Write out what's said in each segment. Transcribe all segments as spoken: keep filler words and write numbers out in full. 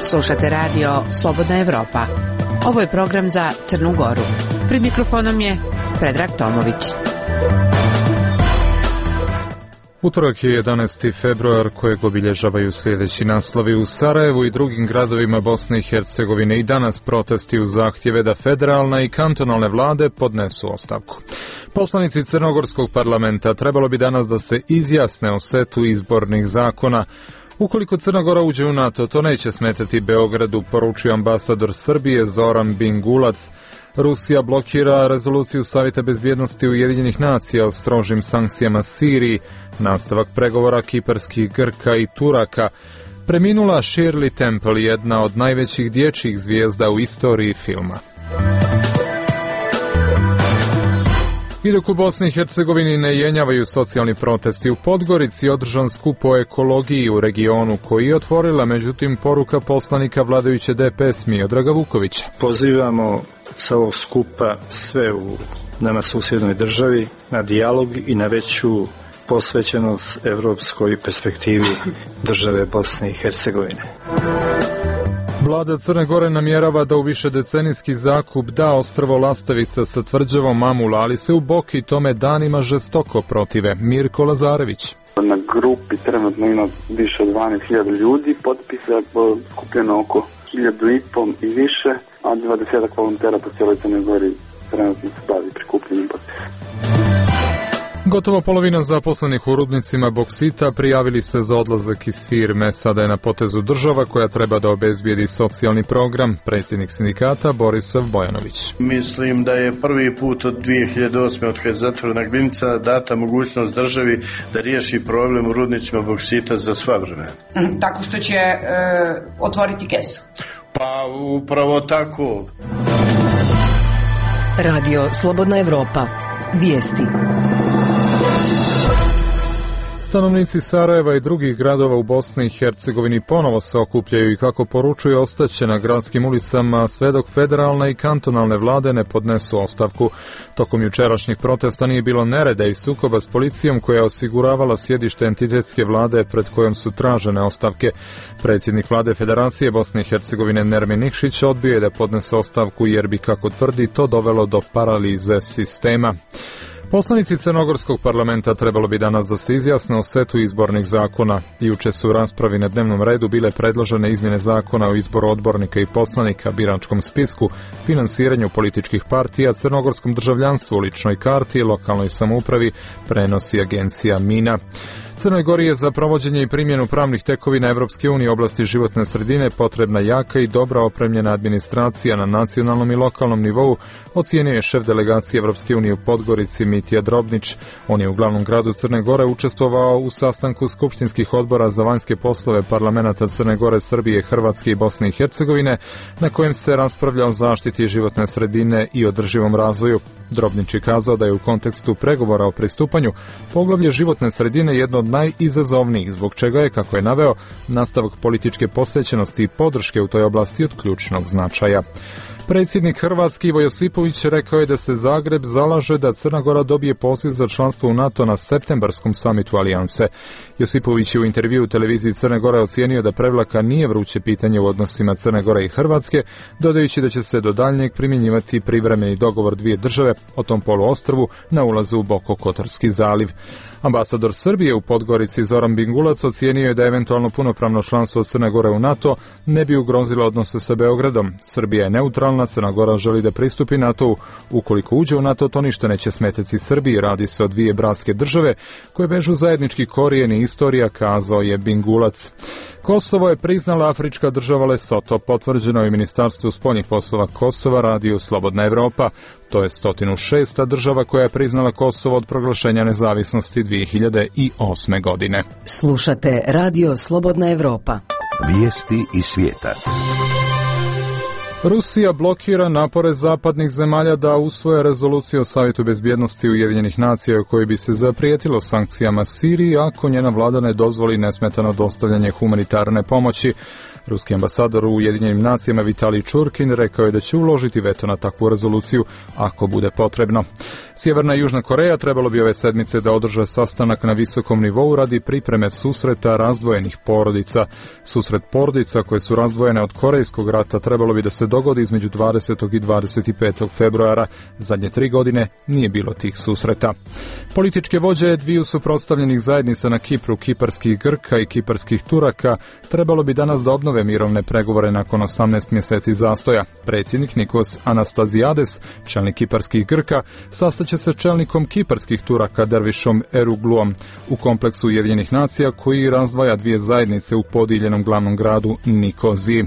Slušate radio Slobodna Evropa. Ovo je program za Crnu Goru. Pred mikrofonom je Predrag Tomović. Utorak je jedanaesti februar kojeg obilježavaju sljedeći naslovi. U Sarajevu i drugim gradovima Bosne i Hercegovine i danas protesti uz zahtjeve da federalna i kantonalne vlade podnesu ostavku. Poslanici Crnogorskog parlamenta trebalo bi danas da se izjasne o setu izbornih zakona. Ukoliko Crna Gora uđe u NATO, to neće smetati Beogradu, poručio ambasador Srbije Zoran Bingulac. Rusija blokira rezoluciju Savjeta bezbjednosti Ujedinjenih nacija o strožim sankcijama Siriji, nastavak pregovora kiparskih Grka i Turaka. Preminula Shirley Temple, jedna od najvećih dječjih zvijezda u istoriji filma. I dok u Bosni i Hercegovini ne jenjavaju socijalni protesti, u Podgorici održan skup o ekologiji u regionu koji je otvorila, međutim, poruka poslanika vladajuće D P S Miodraga Vukovića. Pozivamo sa ovog skupa sve u nama susjednoj državi na dijalog i na veću posvećenost evropskoj perspektivi države Bosne i Hercegovine. Vlada Crne Gore namjerava da u višedecenijski zakup da ostrvo Lastavica sa tvrđavom Mamula, ali se u Boki tome danima žestoko protive. Mirko Lazarević. Na grupi trenutno ima više od dvanaest hiljada ljudi, potpisa je skupljeno oko hiljadu i pol i više, a dvadesetak volontera po cijeloj Crnoj Gori trenutno se bavi prikupljenim potpisa. Gotovo polovina zaposlenih u rudnicima boksita prijavili se za odlazak iz firme. Sada je na potezu država koja treba da obezbijedi socijalni program. Predsjednik sindikata Borisav Bojanović. Mislim da je prvi put od dvije hiljade osme od kad je zatvorena Glinica data mogućnost državi da riješi problem u rudnicima boksita za sva vremena. Mm, tako što će e, otvoriti kesu. Pa upravo tako. Radio Slobodna Evropa. Vijesti. Stanovnici Sarajeva i drugih gradova u Bosni i Hercegovini ponovo se okupljaju i kako poručuju ostaće na gradskim ulicama sve dok federalne i kantonalne vlade ne podnesu ostavku. Tokom jučerašnjih protesta nije bilo nereda i sukoba s policijom koja je osiguravala sjedište entitetske vlade pred kojom su tražene ostavke. Predsjednik vlade Federacije Bosne i Hercegovine Nermin Nikšić odbio je da podnese ostavku jer bi, kako tvrdi, to dovelo do paralize sistema. Poslanici Crnogorskog parlamenta trebalo bi danas da se izjasne o setu izbornih zakona. Juče su u raspravi na dnevnom redu bile predložene izmjene zakona o izboru odbornika i poslanika, biračkom spisku, finansiranju političkih partija, crnogorskom državljanstvu, ličnoj karti, lokalnoj samoupravi, prenosi agencija Mina. Crnoj Gori je za provođenje i primjenu pravnih tekovina Evropske unije u oblasti životne sredine potrebna jaka i dobra opremljena administracija na nacionalnom i lokalnom nivou, ocijenio je šef delegacije Evropske unije u Podgorici Mitja Drobnić. On je u glavnom gradu Crne Gore učestvovao u sastanku skupštinskih odbora za vanjske poslove parlamenata Crne Gore, Srbije, Hrvatske i Bosne i Hercegovine, na kojem se raspravlja o zaštiti životne sredine i održivom razvoju. Drobnić je kazao da je u kontekstu pregovora o pristupanju poglavlje životne sredine jedno od najizazovnijih, zbog čega je, kako je naveo, nastavak političke posvećenosti i podrške u toj oblasti od ključnog značaja. Predsjednik Hrvatske Ivo Josipović rekao je da se Zagreb zalaže da Crna Gora dobije poziv za članstvo u NATO na septembarskom samitu Alijanse. Josipović je u intervjuu u televiziji Crne Gore ocijenio da Prevlaka nije vruće pitanje u odnosima Crne Gore i Hrvatske, dodajući da će se do daljnjeg primjenjivati privremeni dogovor dvije države o tom poluostrvu na ulazu u Bokokotorski zaliv. Ambasador Srbije u Podgorici Zoran Bingulac ocijenio je da eventualno punopravno članstvo Crne Gore u NATO ne bi ugrozilo odnose sa Beogradom. Srbija je neutralna, Crna Gora želi da pristupi NATO-u. Ukoliko uđe u NATO, to ništa neće smetati Srbiji. Radi se o dvije bratske države koje vežu zajednički korijen i istorija, kazao je Bingulac. Kosovo je priznala afrička država Lesoto, potvrđeno je u Ministarstvu spoljnih poslova Kosova, Radio Slobodna Evropa. To je sto šesta država koja je priznala Kosovo od proglašenja nezavisnosti dvije hiljade osme. godine. Slušate Radio Slobodna Evropa. Vijesti iz svijeta. Rusija blokira napore zapadnih zemalja da usvoje rezoluciju o Savjetu bezbjednosti Ujedinjenih nacija u kojoj bi se zaprijetilo sankcijama Siriji ako njena vlada ne dozvoli nesmetano dostavljanje humanitarne pomoći. Ruski ambasador u Ujedinjenim nacijama Vitalij Čurkin rekao je da će uložiti veto na takvu rezoluciju ako bude potrebno. Sjeverna i Južna Koreja trebalo bi ove sedmice da održe sastanak na visokom nivou radi pripreme susreta razdvojenih porodica. Susret porodica koje su razdvojene od Korejskog rata trebalo bi da se dogodi između dvadesetog i dvadeset petog februara. Zadnje tri godine nije bilo tih susreta. Političke vođe dviju suprotstavljenih zajednica na Kipru, kiparskih Grka i kiparskih Turaka, trebalo bi danas da obnove mirovne pregovore nakon osamnaest mjeseci zastoja. Predsjednik Nikos Anastazijades, čelnik kiparskih Grka, sastaće se čelnikom kiparskih Turaka Dervišom Erugluom u kompleksu Ujedinjenih nacija koji razdvaja dvije zajednice u podijeljenom glavnom gradu Nikoziji.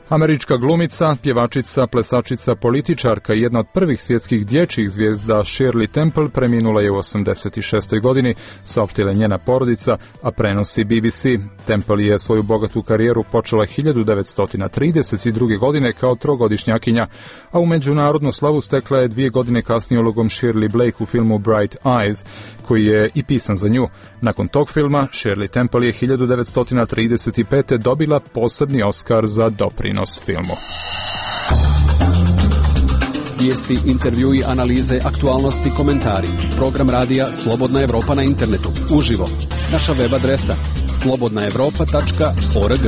Američka glumica, pjevačica, plesačica, političarka i jedna od prvih svjetskih dječjih zvijezda Shirley Temple preminula je u osamdeset šestoj godini, saopštila njena porodica, a prenosi B B C. Temple je svoju bogatu karijeru počela hiljadu devetsto trideset druge. godine kao trogodišnjakinja, a u međunarodnu slavu stekla je dvije godine kasnije ulogom Shirley Blake u filmu Bright Eyes, koji je i pisan za nju. Nakon tog filma, Shirley Temple je hiljadu devetsto trideset pete. dobila posebni Oskar za doprinos filmu. Vijesti, intervjui, analize, aktualnosti, komentari. Program radija Slobodna Evropa na internetu. Uživo. Naša web adresa slobodna evropa tačka org.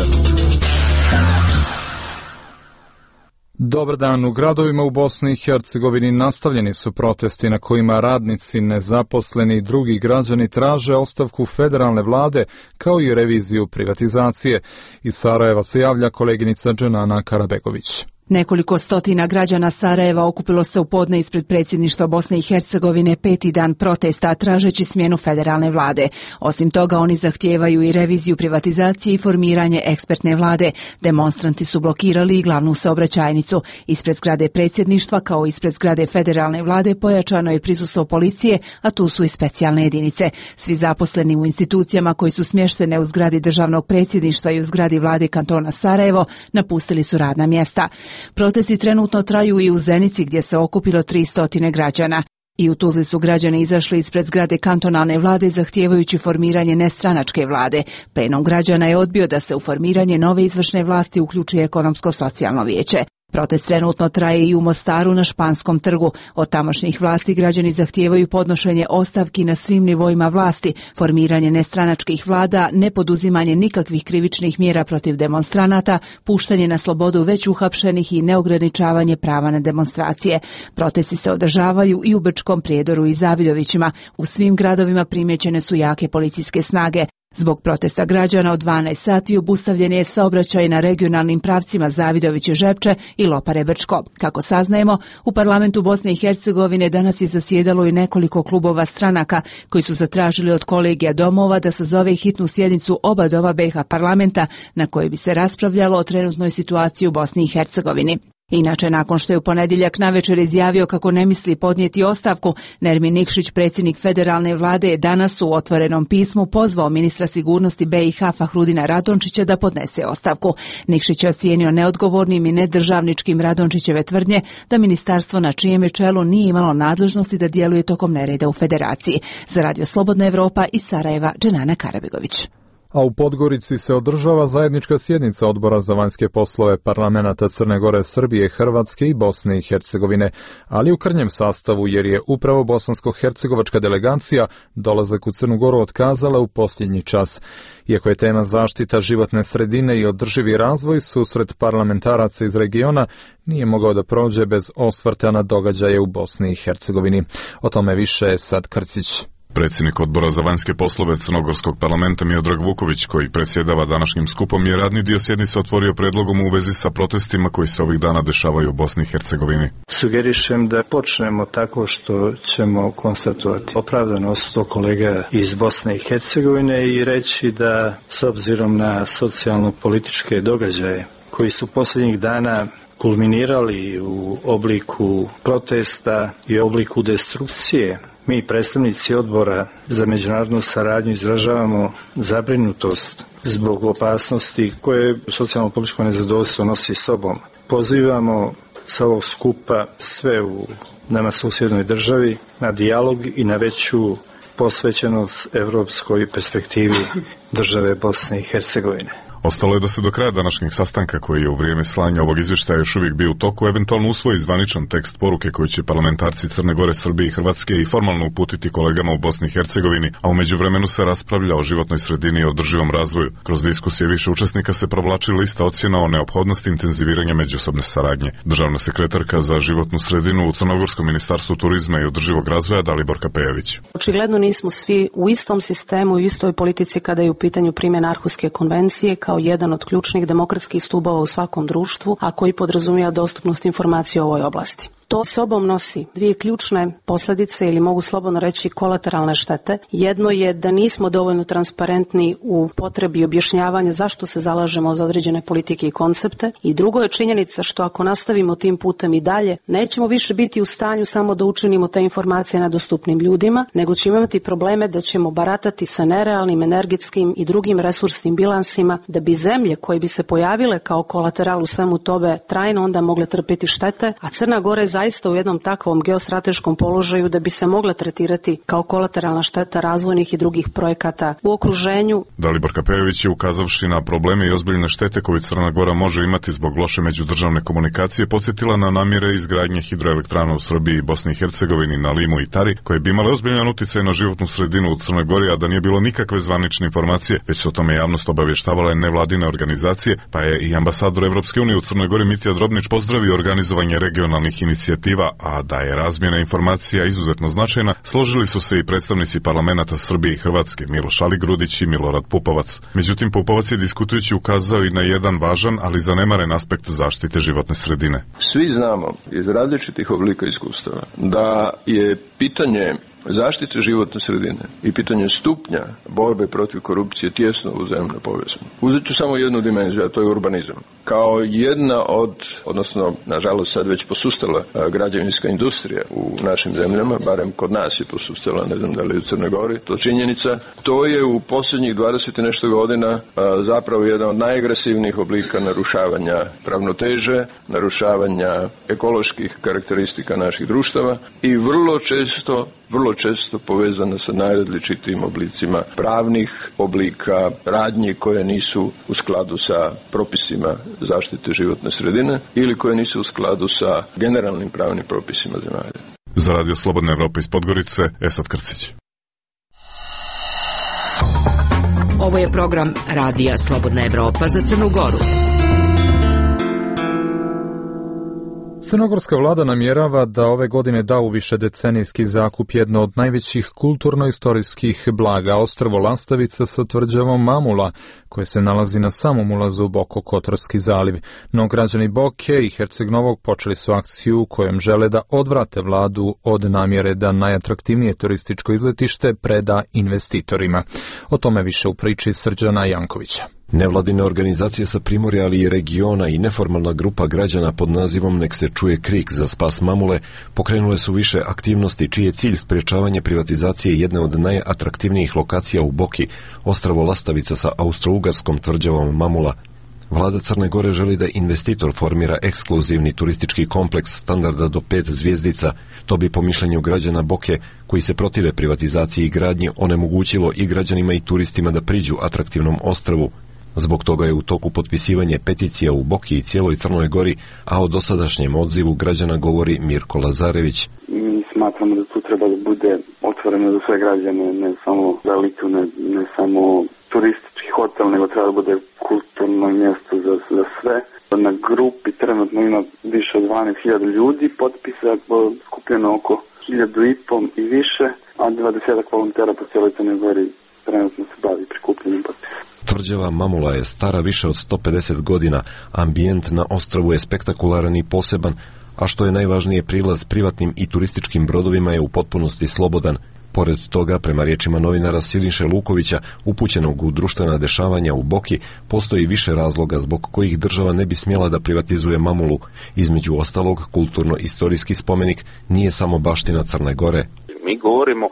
Dobar dan. U gradovima u Bosni i Hercegovini nastavljeni su protesti na kojima radnici, nezaposleni i drugi građani traže ostavku federalne vlade kao i reviziju privatizacije. Iz Sarajeva se javlja koleginica Dženana Karabegović. Nekoliko stotina građana Sarajeva okupilo se u podne ispred predsjedništva Bosne i Hercegovine peti dan protesta tražeći smjenu federalne vlade. Osim toga, oni zahtijevaju i reviziju privatizacije i formiranje ekspertne vlade. Demonstranti su blokirali i glavnu saobraćajnicu. Ispred zgrade predsjedništva kao ispred zgrade federalne vlade pojačano je prisustvo policije, a tu su i specijalne jedinice. Svi zaposleni u institucijama koji su smještene u zgradi državnog predsjedništva i u zgradi vlade kantona Sarajevo napustili su radna mjesta. Protesti trenutno traju i u Zenici gdje se okupilo tristo građana. I u Tuzli su građani izašli ispred zgrade kantonalne vlade zahtijevajući formiranje nestranačke vlade. Plenum građana je odbio da se u formiranje nove izvršne vlasti uključi ekonomsko-socijalno vijeće. Protest trenutno traje i u Mostaru na Španskom trgu. Od tamošnjih vlasti građani zahtijevaju podnošenje ostavki na svim nivoima vlasti, formiranje nestranačkih vlada, nepoduzimanje nikakvih krivičnih mjera protiv demonstranata, puštanje na slobodu već uhapšenih i neograničavanje prava na demonstracije. Protesti se održavaju i u Brčkom Prijedoru i Zaviljovićima. U svim gradovima primjećene su jake policijske snage. Zbog protesta građana od dvanaest sati obustavljen je saobraćaj na regionalnim pravcima Zavidoviće-Žepče i Lopare-Brčko. Kako saznajemo, u parlamentu Bosne i Hercegovine danas je zasjedalo i nekoliko klubova stranaka koji su zatražili od kolegija domova da sazove hitnu sjednicu oba doma B iH parlamenta na kojoj bi se raspravljalo o trenutnoj situaciji u Bosni i Hercegovini. Inače, nakon što je u ponedjeljak navečer izjavio kako ne misli podnijeti ostavku, Nermin Nikšić, predsjednik federalne vlade, je danas u otvorenom pismu pozvao ministra sigurnosti B iH Fahrudina Radončića da podnese ostavku. Nikšić je ocijenio neodgovornim i nedržavničkim Radončićeve tvrdnje da ministarstvo na čijem je čelu nije imalo nadležnosti da djeluje tokom nereda u federaciji. Za Radio Slobodna Evropa iz Sarajeva, Dženana Karabegović. A u Podgorici se održava zajednička sjednica Odbora za vanjske poslove parlamenata Crne Gore, Srbije, Hrvatske i Bosne i Hercegovine, ali u krnjem sastavu jer je upravo bosansko-hercegovačka delegacija dolazak u Crnu Goru otkazala u posljednji čas. Iako je tema zaštita životne sredine i održivi razvoj, susret parlamentaraca iz regiona nije mogao da prođe bez osvrta na događaje u Bosni i Hercegovini. O tome više Sad Krcić. Predsjednik Odbora za vanjske poslove Crnogorskog parlamenta Miodrag Vuković, koji predsjedava današnjim skupom, je radni dio sjednice otvorio predlogom u vezi sa protestima koji se ovih dana dešavaju u Bosni i Hercegovini. Sugerišem da počnemo tako što ćemo konstatovati opravdanost do kolega iz Bosne i Hercegovine i reći da s obzirom na socijalno-političke događaje koji su posljednjih dana kulminirali u obliku protesta i obliku destrukcije, mi, predstavnici Odbora za međunarodnu saradnju, izražavamo zabrinutost zbog opasnosti koje socijalno-političko nezadovoljstvo nosi sobom. Pozivamo sa ovog skupa sve u nama susjednoj državi na dijalog i na veću posvećenost evropskoj perspektivi države Bosne i Hercegovine. Ostalo je da se do kraja današnjeg sastanka, koji je u vrijeme slanja ovog izvještaja još uvijek bio u toku, eventualno usvoji zvaničan tekst poruke koju će parlamentarci Crne Gore, Srbije i Hrvatske i formalno uputiti kolegama u Bosni i Hercegovini, a u međuvremenu se raspravlja o životnoj sredini i održivom razvoju. Kroz diskusije više učesnika se provlači lista ocjena o neophodnosti intenziviranja međusobne saradnje. Državna sekretarka za životnu sredinu u Crnogorskom ministarstvu turizma i održivog razvoja Daliborka Pejović. Očigledno nismo svi u istom sistemu i istoj politici kada je u pitanju primjena Arhuske konvencije kao jedan od ključnih demokratskih stubova u svakom društvu, a koji podrazumijeva dostupnost informacija u ovoj oblasti. To sobom nosi dvije ključne posljedice ili mogu slobodno reći kolateralne štete. Jedno je da nismo dovoljno transparentni u potrebi objašnjavanja zašto se zalažemo za određene politike i koncepte i drugo je činjenica što ako nastavimo tim putem i dalje, nećemo više biti u stanju samo da učinimo te informacije nedostupnim ljudima, nego ćemo imati probleme da ćemo baratati sa nerealnim energetskim i drugim resursnim bilansima da bi zemlje koje bi se pojavile kao kolateral u svemu tome trajno onda mogle trpiti štete, a Crna Gora je zaista u jednom takvom geostrateškom položaju da bi se mogle tretirati kao kolateralna šteta razvojnih i drugih projekata u okruženju. Daliborka Pejović je, ukazavši na probleme i ozbiljne štete koje Crna Gora može imati zbog loše međudržavne komunikacije, podsjetila na namjere izgradnje hidroelektrana u Srbiji i Bosni i Hercegovini na Limu i Tari, koje bi imale ozbiljan utjecaj na životnu sredinu u Crnoj Gori, a da nije bilo nikakve zvanične informacije, već su o tome javnost obavještavale nevladine organizacije, pa je i ambasador Evropske unije u Crnoj Gori Mitja Drobnić pozdravio organizovanje regionalnih inicijativa, a da je razmjena informacija izuzetno značajna, složili su se i predstavnici parlamenata Srbije i Hrvatske, Miloš Aligrudić i Milorad Pupovac. Međutim, Pupovac je diskutujući ukazao i na jedan važan, ali zanemaren aspekt zaštite životne sredine. Svi znamo iz različitih oblika iskustava da je pitanje zaštite životne sredine i pitanje stupnja borbe protiv korupcije tjesno uzajamno povezano. Uzet ću samo jednu dimenziju, a to je urbanizam. Kao jedna od, odnosno, nažalost sad već posustala građevinska industrija u našim zemljama, barem kod nas je posustala, ne znam da li u Crnoj Gori, to činjenica, to je u posljednjih dvadeset i nešto godina a, zapravo jedan od najagresivnijih oblika narušavanja ravnoteže, narušavanja ekoloških karakteristika naših društava i vrlo često vrlo često povezana sa najrazličitijim oblicima pravnih oblika radnji koje nisu u skladu sa propisima zaštite životne sredine ili koje nisu u skladu sa generalnim pravnim propisima zemalja. Za Radio Slobodna Evropa iz Podgorice, Esad Krcić. Ovo je program Radija Slobodna Evropa za Crnu Goru. Crnogorska vlada namjerava da ove godine da u višedecenijski zakup jedno od najvećih kulturno-istorijskih blaga, ostrvo Lastavica sa tvrđavom Mamula, koje se nalazi na samom ulazu u Bokokotorski zaliv. No građani Boke i Herceg Novog počeli su akciju kojom žele da odvrate vladu od namjere da najatraktivnije turističko izletište preda investitorima. O tome više u priči Srđana Jankovića. Nevladine organizacije sa Primorja, ali i regiona i neformalna grupa građana pod nazivom Nek se čuje krik za spas Mamule pokrenule su više aktivnosti čiji je cilj sprječavanje privatizacije jedne od najatraktivnijih lokacija u Boki, ostrvo Lastavica sa austrougarskom tvrđavom Mamula. Vlada Crne Gore želi da investitor formira ekskluzivni turistički kompleks standarda do pet zvjezdica. To bi po mišljenju građana Boke, koji se protive privatizaciji i gradnji, onemogućilo i građanima i turistima da priđu atraktivnom ostrvu. Zbog toga je u toku potpisivanje peticija u Boki i cijeloj Crnoj Gori, a o dosadašnjem odzivu građana govori Mirko Lazarević. Mi smatramo da tu treba da bude otvoreno za sve građane, ne samo za elitu, ne, ne samo turistički hotel, nego treba da bude kulturno mjesto za, za sve. Na grupi trenutno ima više od dvanaest hiljada ljudi, potpisa skupljeno oko hiljadu i pol i više, a dvadesetak volontera po cijeloj Crnoj Gori trenutno se bavi prikupljenjem potpisa. Tvrđava Mamula je stara više od sto pedeset godina, ambijent na ostrvu je spektakularan i poseban, a što je najvažnije, prilaz privatnim i turističkim brodovima je u potpunosti slobodan. Pored toga, prema riječima novinara Siniše Lukovića, upućenog u društvena dešavanja u Boki, postoji više razloga zbog kojih država ne bi smjela da privatizuje Mamulu. Između ostalog, kulturno-istorijski spomenik nije samo baština Crne Gore. Mi govorimo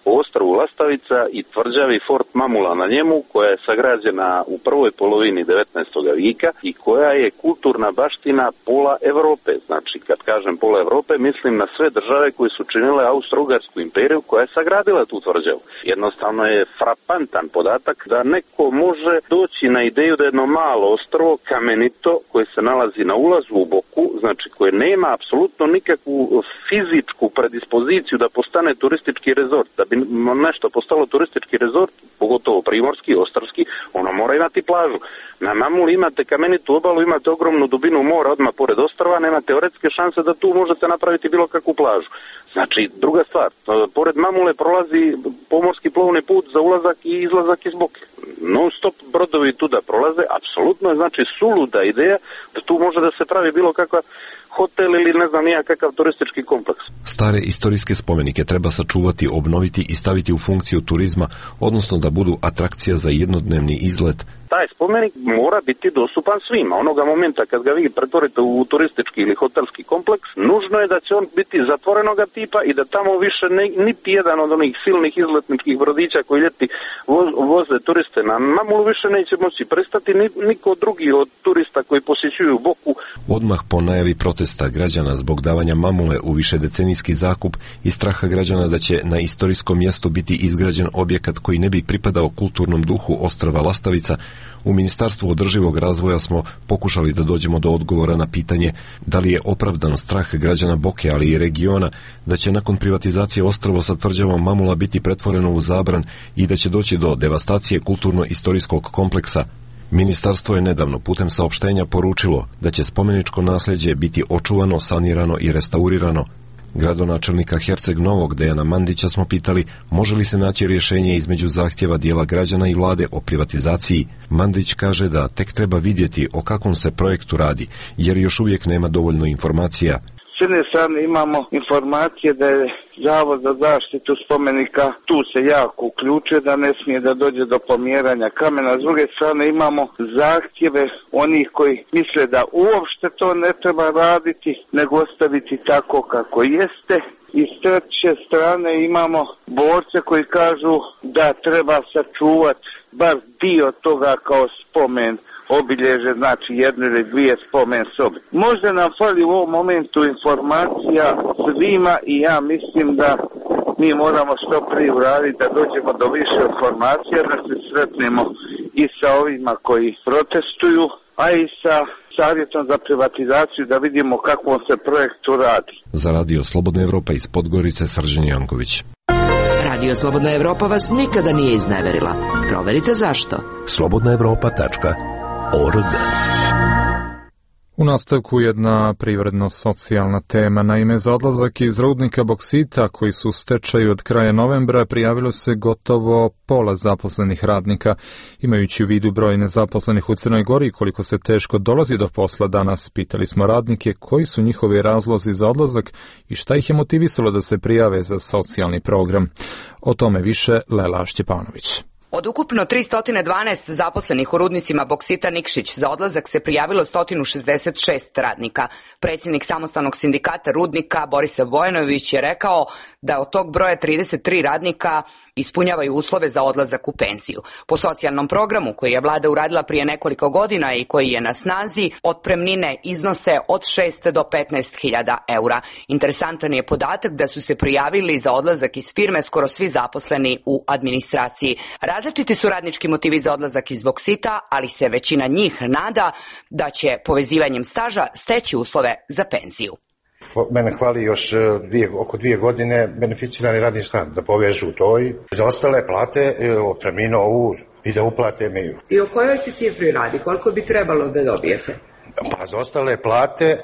o ostrvu Lastavica i tvrđavi Fort Mamula na njemu, koja je sagrađena u prvoj polovini devetnaestog vijeka i koja je kulturna baština pola Evrope. Znači, kad kažem pola Evrope, mislim na sve države koje su činile Austro-Ugarsku imperiju koja je sagradila tu tvrđavu. Jednostavno je frapantan podatak da neko može doći na ideju da jedno malo ostrvo, kamenito, koje se nalazi na ulazu u Boku, znači koje nema apsolutno nikakvu fizičku predispoziciju da postane turistički rezort. Da bi nešto postalo turistički rezort, pogotovo primorski, ostarski, ono mora imati plažu. Na Mamuli imate kamenitu obalu, imate ogromnu dubinu mora odmah pored ostrva, nema teoretske šanse da tu možete napraviti bilo kakvu plažu. Znači, druga stvar, pored Mamule prolazi pomorski plovni put za ulazak i izlazak iz Boke. Non stop brodovi tu da prolaze, apsolutno je znači suluda ideja da tu može da se pravi bilo kakva hotel ili ne znam nija kakav turistički kompleks. Stare istorijske spomenike treba sačuvati, obnoviti i staviti u funkciju turizma, odnosno da budu atrakcija za jednodnevni izlet. Taj spomenik mora biti dostupan svima. Onoga momenta kad ga vi pretvorite u turistički ili hotelski kompleks, nužno je da će on biti zatvorenoga tipa i da tamo više ne, niti jedan od onih silnih izletničkih brodića koji ljeti voz, voze turiste na Mamulu više neće moći pristati, ni, niko drugi od turista koji posjećuju Boku. Odmah po najavi protesta građana zbog davanja Mamule u višedecenijski zakup i straha građana da će na istorijskom mjestu biti izgrađen objekat koji ne bi pripadao kulturnom duhu ostrva Lastavica, u Ministarstvu održivog razvoja smo pokušali da dođemo do odgovora na pitanje da li je opravdan strah građana Boke, ali i regiona, da će nakon privatizacije ostrvo sa tvrđavom Mamula biti pretvoreno u Zabran i da će doći do devastacije kulturno-istorijskog kompleksa. Ministarstvo je nedavno putem saopštenja poručilo da će spomeničko nasljeđe biti očuvano, sanirano i restaurirano. Gradonačelnika Herceg Novog Dejana Mandića smo pitali može li se naći rješenje između zahtjeva dijela građana i vlade o privatizaciji. Mandić kaže da tek treba vidjeti o kakvom se projektu radi, jer još uvijek nema dovoljno informacija. S jedne strane imamo informacije da je Zavod za zaštitu spomenika tu se jako uključuje, da ne smije da dođe do pomjeranja kamena. S druge strane imamo zahtjeve onih koji misle da uopšte to ne treba raditi, nego ostaviti tako kako jeste. I s treće strane imamo borce koji kažu da treba sačuvati bar dio toga kao spomen obilježe, znači jedne ili dvije spomen sobe. Možda nam fali u ovom momentu informacija svima i ja mislim da mi moramo što prije uraditi da dođemo do više informacija, da se sretnemo i sa ovima koji protestuju, a i sa savjetom za privatizaciju da vidimo kakvom se projektu radi. Za Radio Slobodna Evropa iz Podgorice, Srđan Janković. Radio Slobodna Evropa vas nikada nije izneverila. Proverite zašto. slobodna evropa tačka org. U nastavku jedna privredno-socijalna tema. Naime, za odlazak iz rudnika boksita koji su u stečaju od kraja novembra prijavilo se gotovo pola zaposlenih radnika. Imajući u vidu broj nezaposlenih u Crnoj Gori i koliko se teško dolazi do posla danas, pitali smo radnike koji su njihovi razlozi za odlazak i šta ih je motivisalo da se prijave za socijalni program. O tome više Lela Šćepanović. Od ukupno tristo dvanaest zaposlenih u rudnicima boksita Nikšić za odlazak se prijavilo sto šezdeset šest radnika. Predsjednik samostalnog sindikata rudnika Borisav Bojanović je rekao da od tog broja trideset tri radnika ispunjavaju uslove za odlazak u penziju. Po socijalnom programu koji je vlada uradila prije nekoliko godina i koji je na snazi, otpremnine iznose od šest do petnaest hiljada eura. Interesantan je podatak da su se prijavili za odlazak iz firme skoro svi zaposleni u administraciji. Različiti su radnički motivi za odlazak iz boksita, ali se većina njih nada da će povezivanjem staža steći uslove za penziju. Mene hvali još dvije, oko dvije godine beneficirani radni staž da povežu to i za ostale plate, otpremninu ovu i da uplate mi. I o kojoj se cifri radi? Koliko bi trebalo da dobijete? Pa za ostale plate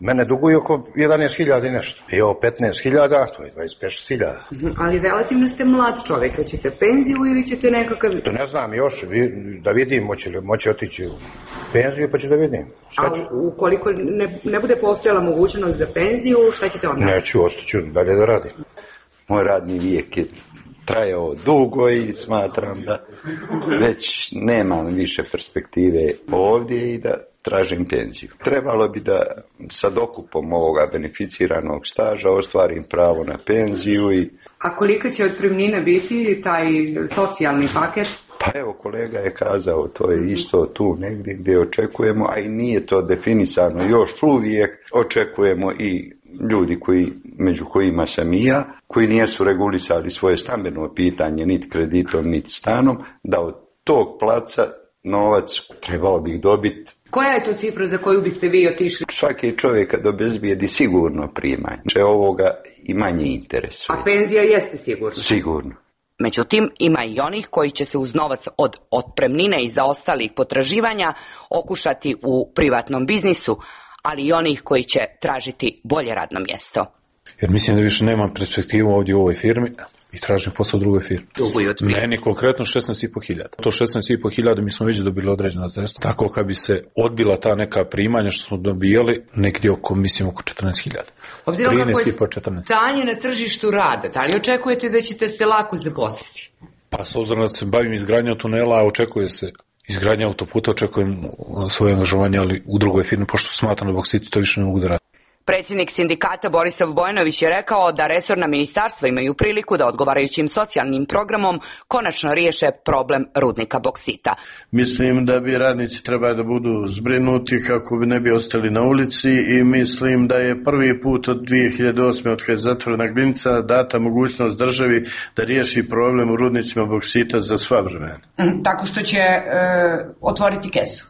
mene duguju oko jedanaest hiljada i nešto. I ovo petnaest hiljada, to je dvadeset pet hiljada. Ali relativno ste mlad čovjek, hoćete penziju ili ćete nekakav... To ne znam još, da vidim, moći, moći otići u penziju pa ću da vidim. A ukoliko ne, ne bude postojala mogućnost za penziju, šta ćete onda? Neću, ostaću dalje da radim. Moj radni vijek je trajao dugo i smatram da već nemam više perspektive ovdje i da tražim penziju. Trebalo bi da sa dokupom ovoga beneficiranog staža ostvarim pravo na penziju. I... A kolika će otpremnina biti taj socijalni paket? Pa evo, kolega je kazao, to je isto tu negdje gdje očekujemo, a i nije to definisano. Još uvijek očekujemo i ljudi koji, među kojima sam i ja, koji nisu regulisali svoje stambeno pitanje niti kreditom, niti stanom, da od tog placa novac trebao bih dobiti. Koja je to cifra za koju biste vi otišli? Svaki čovjek kad obezbijedi sigurno primanje. Če ovoga i manje interesuje. A penzija jeste sigurno? Sigurno. Međutim, ima i onih koji će se uz novac od otpremnine i zaostalih potraživanja okušati u privatnom biznisu, ali i onih koji će tražiti bolje radno mjesto. Jer mislim da više nemam perspektivu ovdje u ovoj firmi i tražim posao u drugoj firmi. Meni konkretno šesnaest i po hiljada. To šesnaest i po hiljada mi smo već dobili određena sredstva. Tako kad bi se odbila ta neka primanja što smo dobijali, negdje oko, mislim, oko četrnaest hiljada. Obzirom kako je stanje na tržištu rada, da li očekujete da ćete se lako zaposliti? Pa s obzirom da se bavim izgradnjom tunela, očekuje se izgradnja autoputa, očekujem svoje angažovanje, ali u drugoj firmi, pošto smatram da Boksiti to više ne mogu da radi. Predsjednik sindikata Borisav Bojanović je rekao da resorna ministarstva imaju priliku da odgovarajućim socijalnim programom konačno riješe problem rudnika boksita. Mislim da bi radnici trebali da budu zbrinuti kako bi ne bi ostali na ulici i mislim da je prvi put od dvije hiljade osme od kad je zatvorena Glinica data mogućnost državi da riješi problem u rudnicima boksita za sva vremena. Tako što će e, otvoriti kesu?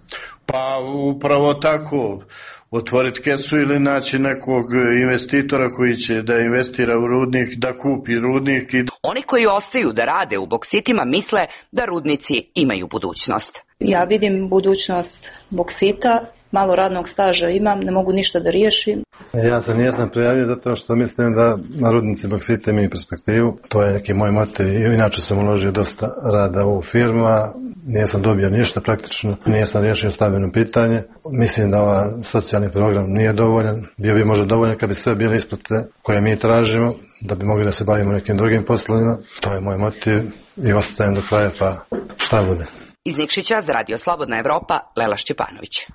Pa upravo tako. Otvoriti kesu ili naći nekog investitora koji će da investira u rudnik, da kupi rudnik. I... Oni koji ostaju da rade u boksitima misle da rudnici imaju budućnost. Ja vidim budućnost boksita, malo radnog staža imam, ne mogu ništa da riješim. Ja se nijesam prijavio zato što mislim da na rudnici boksita imaju perspektivu. To je neki moj motiv. Inače sam uložio dosta rada u firma, nisam dobio ništa praktično, nisam riješio stambeno pitanje. Mislim da ovaj socijalni program nije dovoljan. Bio bi možda dovoljan kad bi sve bile isplate koje mi tražimo, da bi mogli da se bavimo nekim drugim poslovima. To je moj motiv i ostajem do kraja, pa šta bude. Iz Nikšića za Radio Slobodna Evropa, Lela Šćepanović.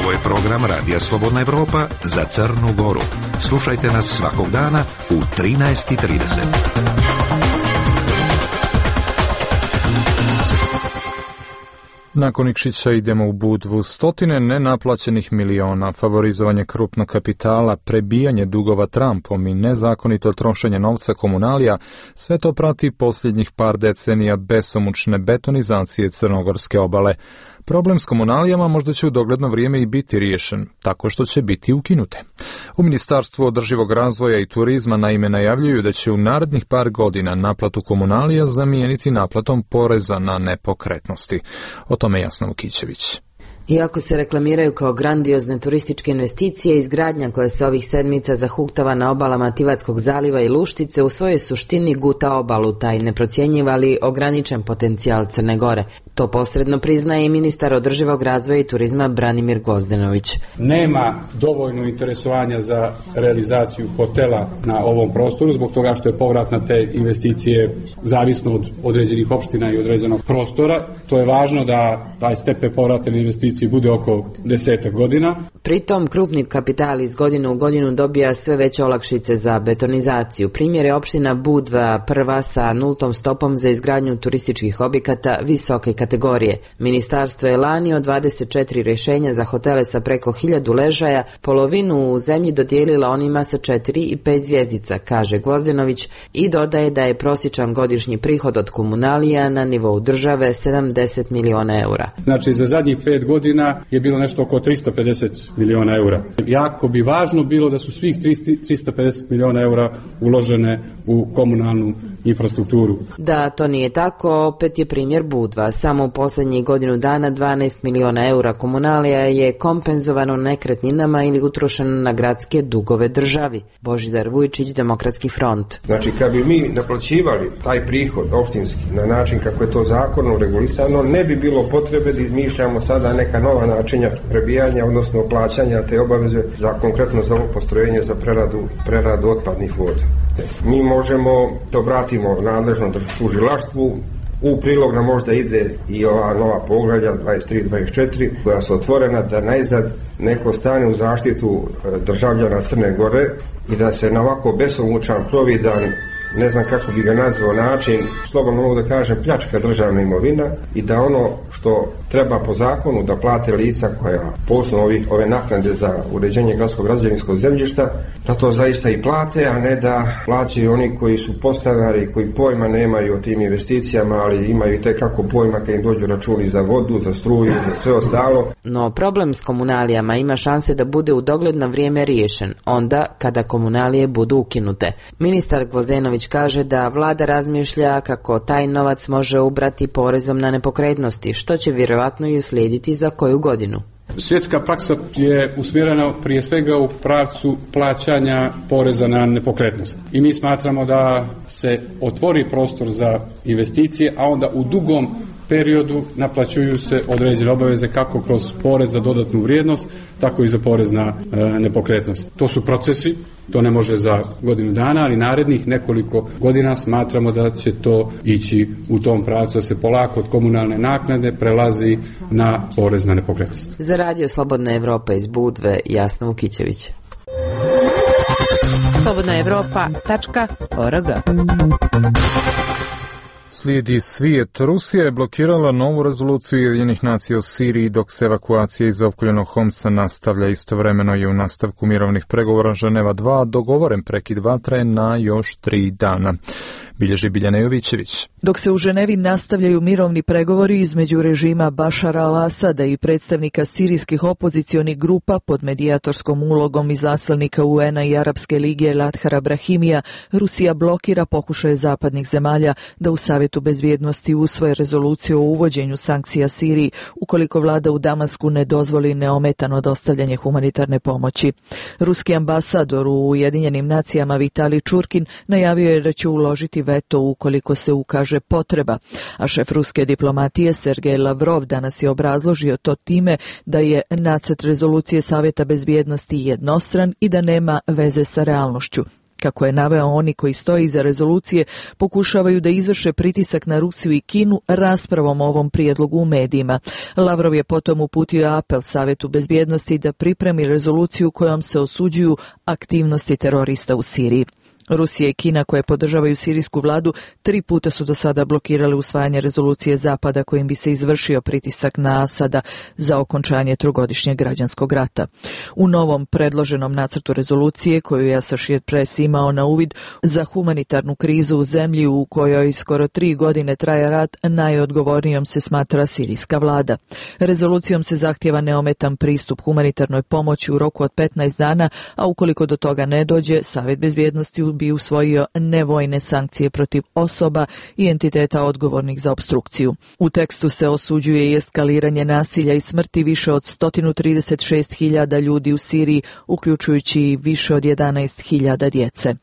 Ovo je program Radija Slobodna Evropa za Crnu Goru. Slušajte nas svakog dana u trinaest i trideset. Nakon Nikšića idemo u Budvu. Stotine nenaplaćenih miliona, favorizovanje krupnog kapitala, prebijanje dugova Trumpom i nezakonito trošenje novca komunalija, sve to prati posljednjih par decenija besomučne betonizacije crnogorske obale. Problem s komunalijama možda će u dogledno vrijeme i biti riješen, tako što će biti ukinute. U Ministarstvu održivog razvoja i turizma naime najavljuju da će u narednih par godina naplatu komunalija zamijeniti naplatom poreza na nepokretnosti. O tome Jasna Vukićević. Iako se reklamiraju kao grandiozne turističke investicije, izgradnja koja se ovih sedmica zahuktava na obalama Tivatskog zaliva i Luštice u svojoj suštini guta obalu, taj neprocjenjivali ograničen potencijal Crne Gore. To posredno priznaje i ministar održivog razvoja i turizma Branimir Gozdenović. Nema dovoljno interesovanja za realizaciju hotela na ovom prostoru, zbog toga što je povrat na te investicije zavisno od određenih opština i određenog prostora. To je važno da taj stepen povrata na investicije bude oko desetak godina. Pritom krupni kapital iz godine u godinu dobija sve veće olakšice za betonizaciju. Primjer je opština Budva prva sa nultom stopom za izgradnju turističkih objekata visoke kategorije. Ministarstvo je lani od dvadeset četiri rješenja za hotele sa preko hiljadu ležaja polovinu u zemlji dodijelila onima sa četiri i pet zvjezdica, kaže Gvozdenović, i dodaje da je prosječan godišnji prihod od komunalija na nivou države sedamdeset miliona eura. Znači za zadnjih pet godina je bilo nešto oko tristo pedeset miliona eura. Jako bi važno bilo da su svih tristo pedeset miliona eura uložene u komunalnu infrastrukturu. Da to nije tako, opet je primjer Budva. Samo u posljednjih godinu dana dvanaest miliona eura komunalija je kompenzovano nekretninama ili utrošeno na gradske dugove državi. Božidar Vujčić, Demokratski front. Znači, kad bi mi naplaćivali taj prihod opštinski na način kako je to zakonom regulisano, ne bi bilo potrebe da izmišljamo sada neka nova načinja prebijanja, odnosno plaćanja te obaveze za konkretno za ovo postrojenje za preradu, preradu otpadnih voda. Mi možemo da obratimo nadležnom tužilaštvu U prilog nam možda ide i ova nova poglavlja dvadeset tri dvadeset četiri koja su otvorena da najzad neko stane u zaštitu državljana Crne Gore i da se na ovako besomučan, providan, ne znam kako bi ga nazvao način, slobodno mogu da kažem pljačka državna imovina i da ono što treba po zakonu da plate lica koja posebno ovih, ove naknade za uređenje gradskog građevinskog zemljišta, da to zaista i plate, a ne da plaćaju oni koji su podstanari, koji pojma nemaju o tim investicijama, ali imaju i tekako pojma kad im dođu računi za vodu, za struju, za sve ostalo. No problem s komunalijama ima šanse da bude u dogledno vrijeme riješen, onda kada komunalije budu ukinute. Ministar Gvozdenović kaže da vlada razmišlja kako taj novac može ubrati porezom na nepokretnosti, što će vjerojatno i uslijediti za koju godinu. Svjetska praksa je usmjerena prije svega u pravcu plaćanja poreza na nepokretnost. I mi smatramo da se otvori prostor za investicije, a onda u dugom periodu naplaćuju se određene obaveze kako kroz porez za dodatnu vrijednost, tako i za porez na e, nepokretnost. To su procesi, to ne može za godinu dana, ali narednih nekoliko godina smatramo da će to ići u tom pravcu, da se polako od komunalne naknade prelazi na porez na nepokretnost. Za Radio Slobodna Evropa iz Budve, Jasna Vukićević. slobodna evropa tačka org. Slijedi svijet. Rusija je blokirala novu rezoluciju Ujedinjenih nacija o Siriji dok se evakuacija iz opkoljenog Homsa nastavlja. Istovremeno je u nastavku mirovnih pregovora Ženeva dva dogovoren prekid vatre na još tri dana. Bilježi Biljana Jovićević. Dok se u Ženevi nastavljaju mirovni pregovori između režima Bašara al-Asada i predstavnika sirijskih opozicionih grupa pod medijatorskom ulogom izaslanika U N-a i Arapske lige Lathara Brahimija, Rusija blokira pokušaje zapadnih zemalja da u Savjetu bezbjednosti usvoje rezoluciju o uvođenju sankcija Siriji ukoliko vlada u Damasku ne dozvoli neometano dostavljanje humanitarne pomoći. Ruski ambasador u Ujedinjenim nacijama Vitali Čurkin najavio je da će uložiti veto ukoliko se ukaže potreba, a šef ruske diplomatije Sergej Lavrov danas je obrazložio to time da je nacrt rezolucije Savjeta bezbjednosti jednostran i da nema veze sa realnošću. Kako je naveo, oni koji stoji iza rezolucije pokušavaju da izvrše pritisak na Rusiju i Kinu raspravom o ovom prijedlogu u medijima. Lavrov je potom uputio apel Savjetu bezbjednosti da pripremi rezoluciju kojom se osuđuju aktivnosti terorista u Siriji. Rusija i Kina, koje podržavaju sirijsku vladu, tri puta su do sada blokirale usvajanje rezolucije Zapada kojim bi se izvršio pritisak na Asada za okončanje trogodišnjeg građanskog rata. U novom predloženom nacrtu rezolucije, koju je Associated Press imao na uvid, za humanitarnu krizu u zemlji u kojoj skoro tri godine traje rat, najodgovornijom se smatra sirijska vlada. Rezolucijom se zahtjeva neometan pristup humanitarnoj pomoći u roku od petnaest dana, a ukoliko do toga ne dođe, Savjet bezbjednosti u bi usvojio nevojne sankcije protiv osoba i entiteta odgovornih za opstrukciju. U tekstu se osuđuje i eskaliranje nasilja i smrti više od sto trideset šest hiljada ljudi u Siriji, uključujući i više od jedanaest hiljada djece.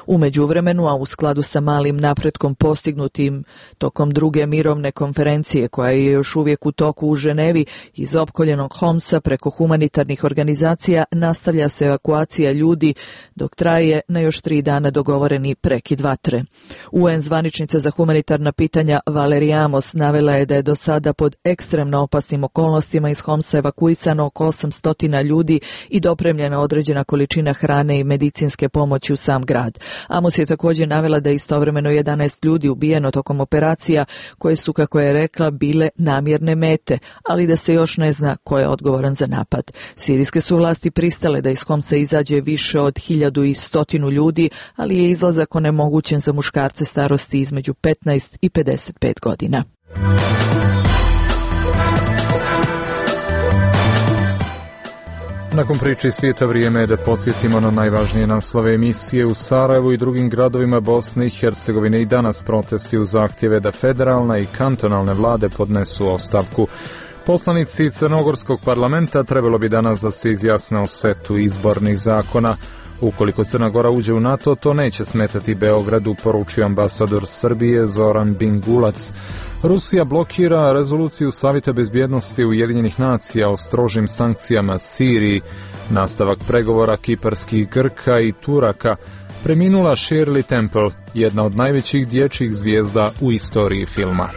U međuvremenu, a u skladu sa malim napretkom postignutim tokom druge mirovne konferencije koja je još uvijek u toku u Ženevi, iz opkoljenog Homsa preko humanitarnih organizacija nastavlja se evakuacija ljudi dok traje na još tri dana dogovoreni prekid vatre. U N zvaničnica za humanitarna pitanja Valerija Amos navela je da je do sada pod ekstremno opasnim okolnostima iz Homsa evakuisano oko osamsto ljudi i dopremljena određena količina hrane i medicinske pomoći u sam grad. Amos je također navela da je istovremeno jedanaest ljudi ubijeno tokom operacija koje su, kako je rekla, bile namjerne mete, ali da se još ne zna ko je odgovoran za napad. Sirijske su vlasti pristale da iz Homsa izađe više od hiljadu i stotinu ljudi, ali je izlazak onemogućen za muškarce starosti između petnaest i pedeset pet godina. Nakon priče svijeta vrijeme je da podsjetimo na najvažnije naslove emisije. U Sarajevu i drugim gradovima Bosne i Hercegovine i danas protesti u zahtjeve da federalna i kantonalne vlade podnesu ostavku. Poslanici Crnogorskog parlamenta trebalo bi danas da se izjasne o setu izbornih zakona. Ukoliko Crna Gora uđe u NATO, to neće smetati Beogradu, poručio ambasador Srbije Zoran Bingulac. Rusija blokira rezoluciju Savjeta bezbjednosti Ujedinjenih nacija o strožim sankcijama Siriji. Nastavak pregovora kiparskih Grka i Turaka. Preminula Shirley Temple, jedna od najvećih dječjih zvijezda u istoriji filma.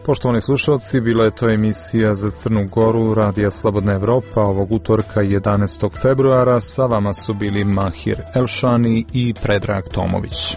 Poštovani slušalci, bila je to emisija za Crnu Goru Radija Slobodna Evropa ovog utorka jedanaestog februara. Sa vama su bili Mahir Elšani i Predrag Tomović.